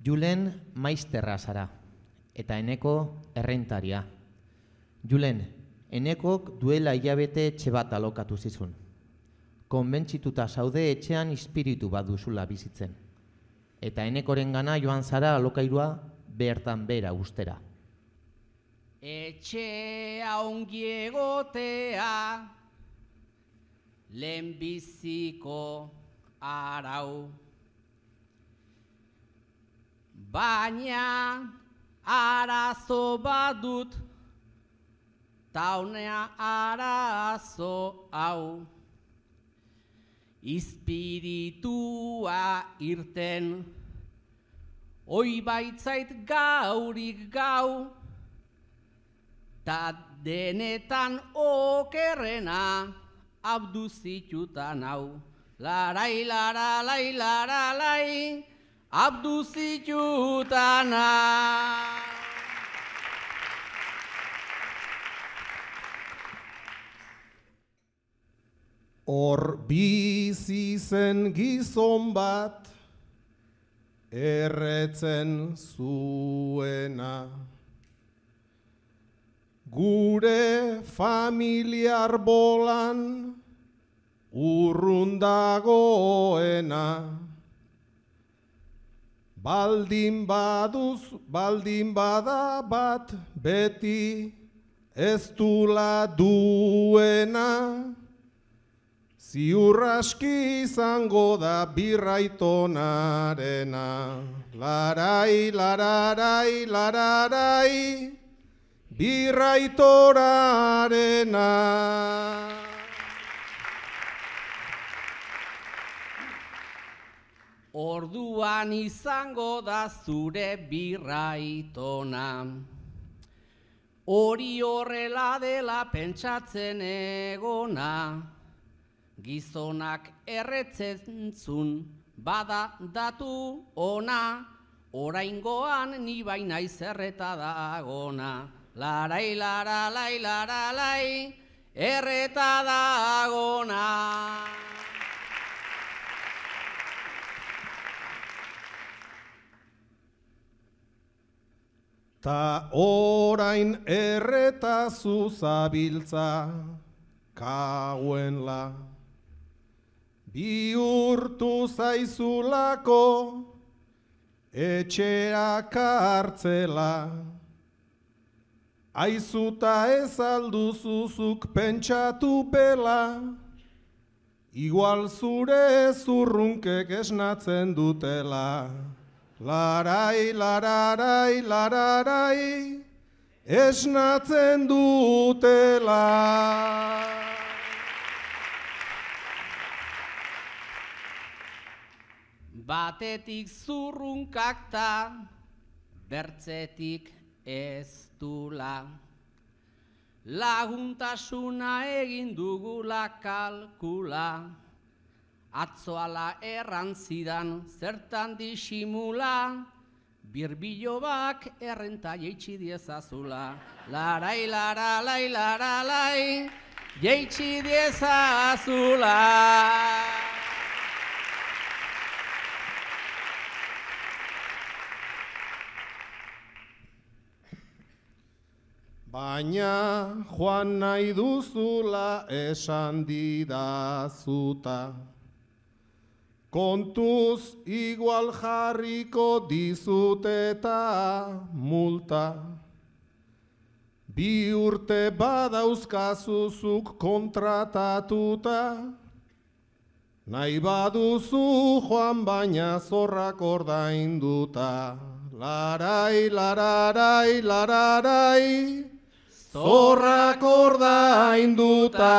Julen maizterra zara, eta Eneko errentaria. Julen, Enekok duela hilabete etxe bat alokatu zizun. Konbentzituta zaude etxean espiritu bat duzula bizitzen. Eta Enekoren gana joan zara alokairua bertan bera ustera. Etxea ongi egotea, lehenbiziko arau. Baina arazo badut, taunea arazo hau. Espiritua irten, oi baitzait gaurik gau, ta denetan okerrena abduzitutan hau. Larai, laralai, laralai, abduzitutan hau. Hor bizi zen gizon bat, erretzen zuena. Gure familiar bolan, urrun dagoena. Baldin bada bat, beti ez dula duena. Ziur aski izango da birraitonarena. Larai, lararai, lararai, birraitorarena. Orduan izango da zure birraitona. Hori horrela dela pentsatzen egona. Gizonak erretzen zun, bada datu ona, oraingoan ni baina izerreta dagona. Larai, laralai, laralai, erreta dagona. Ta orain erreta zuzabiltza, kauenla. Bihurtu zaizulako, etxea kartzela. Aizuta ez alduzuzuk pentsatu bela, igual zure zurrunkek esnatzen dutela. Larai, lararai, lararai, esnatzen dutela. Batetik zurrunkak ta, bertzetik ez dula. Laguntasuna egin dugula kalkula. Atzoala erran zidan zertan disimula. Birbilobak errenta jeitsi diezazula. Larai, laralai, laralai, jeitsi diezazula. Baina joan nahi duzula esan didazuta. Kontuz igual jarriko dizut eta multa. 2 urte badauzkazuzuk kontratatuta. Nahi baduzu joan baina zorrak ordainduta. Larai, lararai, lararai, zorrak ordainduta.